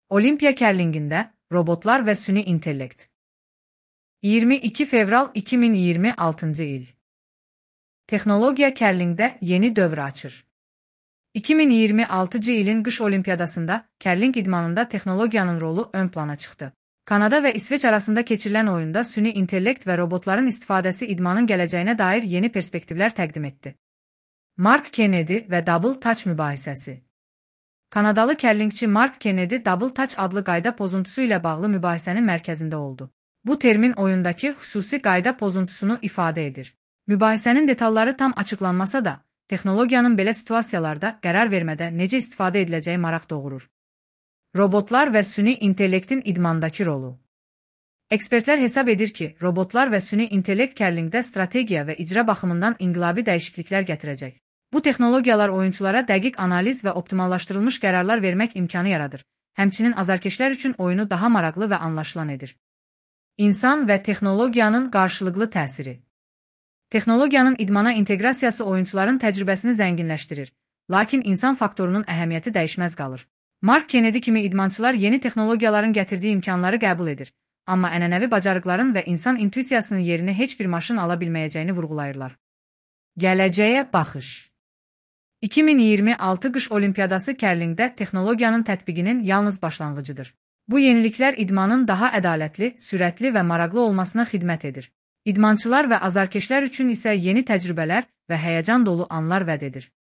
Olimpiya kərlingində robotlar və süni intellekt. 22 fevral 2026-cı il. Texnologiya kərlingdə yeni dövr açır. 2026-cı ilin qış olimpiyadasında kərling idmanında texnologiyanın rolu ön plana çıxdı. Kanada və İsveç arasında keçirilən oyunda süni intellekt və robotların istifadəsi idmanın gələcəyinə dair yeni perspektivlər təqdim etdi. Mark Kennedy və Double Touch mübahisəsi. Kanadalı kərlingçi Mark Kennedy Double Touch adlı qayda pozuntusu ilə bağlı mübahisənin mərkəzində oldu. Bu termin oyundakı xüsusi qayda pozuntusunu ifadə edir. Mübahisənin detalları tam açıqlanmasa da, texnologiyanın belə situasiyalarda qərar vermədə necə istifadə ediləcəyi maraq doğurur. Robotlar və süni intellektin idmandakı rolu. Ekspertlər hesab edir ki, robotlar və süni intellekt kərlingdə strategiya və icra baxımından inqilabi dəyişikliklər gətirəcək. Bu texnologiyalar oyunçulara dəqiq analiz və optimallaşdırılmış qərarlar vermək imkanı yaradır. Həmçinin azarkeşlər üçün oyunu daha maraqlı və anlaşılan edir. İnsan və texnologiyanın qarşılıqlı təsiri. Texnologiyanın idmana inteqrasiyası oyunçuların təcrübəsini zənginləşdirir, lakin insan faktorunun əhəmiyyəti dəyişməz qalır. Mark Kennedy kimi idmançılar yeni texnologiyaların gətirdiyi imkanları qəbul edir, amma ənənəvi bacarıqların və insan intuisiyasının yerini heç bir maşın ala bilməyəcəyini vurğulayırlar. Gələcəyə baxış. 2026 qış olimpiyadası kərlingdə texnologiyanın tətbiqinin yalnız başlanğıcıdır. Bu yeniliklər idmanın daha ədalətli, sürətli və maraqlı olmasına xidmət edir. İdmançılar və azarkeşlər üçün isə yeni təcrübələr və həyəcan dolu anlar vəd edir.